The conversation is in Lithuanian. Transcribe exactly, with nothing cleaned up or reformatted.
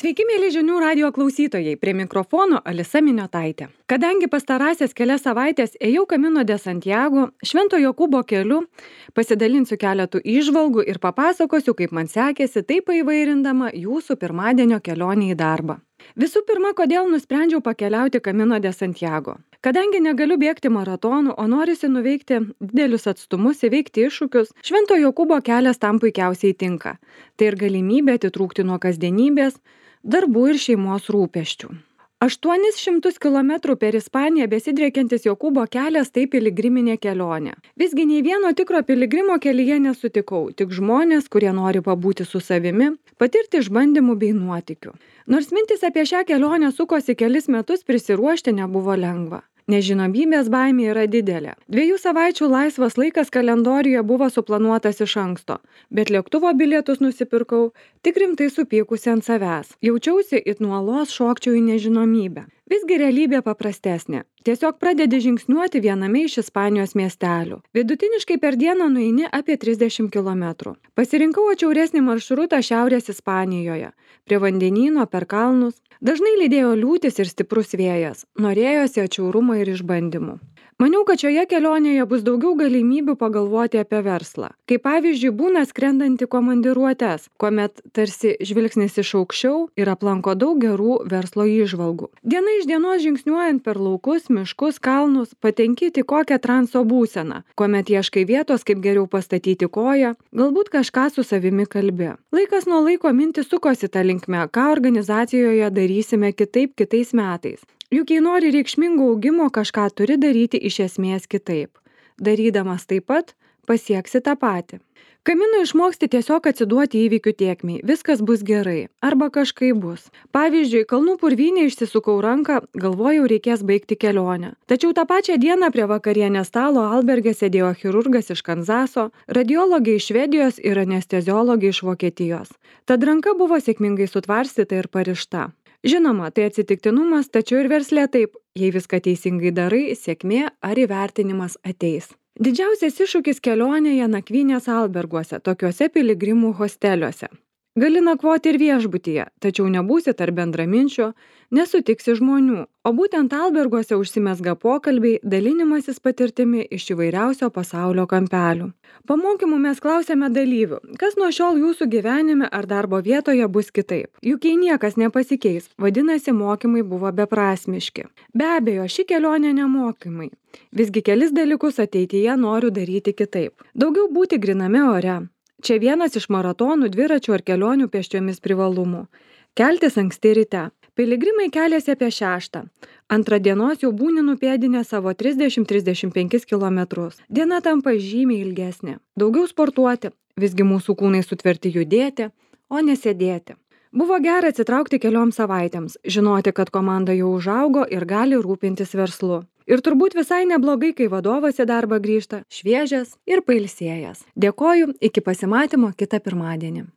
Sveiki, mėly žinių radijo klausytojai, prie mikrofono Alisa Miniotaitė. Kadangi pastarąsias kelias savaitės ėjau Camino de Santiago, Švento Jokūbo keliu, pasidalinsiu keletų įžvalgų ir papasakosiu, kaip man sekėsi, taip paįvairindama jūsų pirmadienio kelionę į darbą. Visų pirma, kodėl nusprendžiau pakeliauti Camino de Santiago. Kadangi negaliu bėgti maratonų, o norisi nuveikti didelius atstumus, įveikti iššūkius, Švento Jokūbo kelias tam puikiausiai tinka. Tai ir galimybė atitrūkti nuo kasdienybės, darbų ir šeimos rūpesčių. aštuonis šimtus kilometrų per Ispaniją besidriekiantis Jokūbo kelias tai piligriminė kelionė. Visgi nei vieno tikro piligrimo kelyje nesutikau, tik žmonės, kurie nori pabūti su savimi, patirti išbandymų bei nuotykių. Nors mintis apie šią kelionę sukosi kelis metus, prisiruošti nebuvo lengva. Nežinomybės baimė yra didelė. Dviejų savaičių laisvas laikas kalendoriuje buvo suplanuotas iš anksto, bet lėktuvo bilietus nusipirkau tik rimtai supykusi ant savęs. Jaučiausi it nuolos šokčiau į nežinomybę. Visgi realybė paprastesnė. Tiesiog pradedi žingsniuoti viename iš Ispanijos miestelių. Vidutiniškai per dieną nueini apie trisdešimt kilometrų. Pasirinkau atšiauresnį maršrutą Šiaurės Ispanijoje, prie vandenyno per kalnus. Dažnai lydėjo liūtis ir stiprus vėjas. Norėjosi atšiaurumo ir išbandymų. Maniau, kad šioje kelionėje bus daugiau galimybių pagalvoti apie verslą. Kaip pavyzdžiui, būna skrendanti komandiruotes, kuomet tarsi žvilgsnis iš aukščiau ir aplanko daug gerų verslo įžvalgų. Diena iš dienos žingsniuojant per laukus, miškus, kalnus, patenki į kokią transo būseną, kuomet ieškai vietos, kaip geriau pastatyti koją, galbūt kažką su savimi kalbi. Laikas nuo laiko mintis sukosi tą linkmę, ką organizacijoje darysime kitaip kitais metais. Juk jei nori reikšmingo augimo, kažką turi daryti iš esmės kitaip. Darydamas taip pat, pasieksi tą patį. Camino išmoksti tiesiog atsiduoti įvykių tėkmei, viskas bus gerai, arba kažkaip bus. Pavyzdžiui, kalnų purvynė išsisukau ranką, galvojau reikės baigti kelionę. Tačiau tą pačią dieną prie vakarienės stalo alberge sėdėjo chirurgas iš Kanzaso, radiologė iš Švedijos ir anesteziologė iš Vokietijos. Tad ranka buvo sėkmingai sutvarstyta ir parišta. Žinoma, tai atsitiktinumas, tačiau ir versle taip, jei viską teisingai darai, sėkmė ar įvertinimas ateis. Didžiausias iššūkis kelionėje nakvynės alberguose, tokiuose piligrimų hosteliuose. Gali nakvoti ir viešbutyje, tačiau nebūsi tarp bendraminčių, nesutiksi žmonių, o būtent alberguose užsimezga pokalbiai, dalinimasis patirtimi iš įvairiausio pasaulio kampelių. Pamokymų mes klausėme dalyvių, kas nuo šiol jūsų gyvenime ar darbo vietoje bus kitaip. Juk jei niekas nepasikeis, vadinasi, mokymai buvo beprasmiški. Be abejo, ši kelionė nemokymai. Visgi kelis dalykus ateityje noriu daryti kitaip. Daugiau būti griname ore. Čia vienas iš maratonų, dviračių ar kelionių pėsčiomis privalumų. Keltis anksti ryte. Piligrimai keliasi apie šeštą. Antrą dienos jau būni nupėdinę savo trisdešimt trisdešimt penkis kilometrus. Diena tampa žymiai ilgesnė. Daugiau sportuoti. Visgi mūsų kūnai sutverti judėti, o nesėdėti. Buvo gera atsitraukti kelioms savaitėms, žinoti, kad komanda jau užaugo ir gali rūpintis verslu. Ir turbūt visai neblogai, kai vadovas į darbą grįžta šviežias ir pailsėjęs. Dėkoju, iki pasimatymo kitą pirmadienį.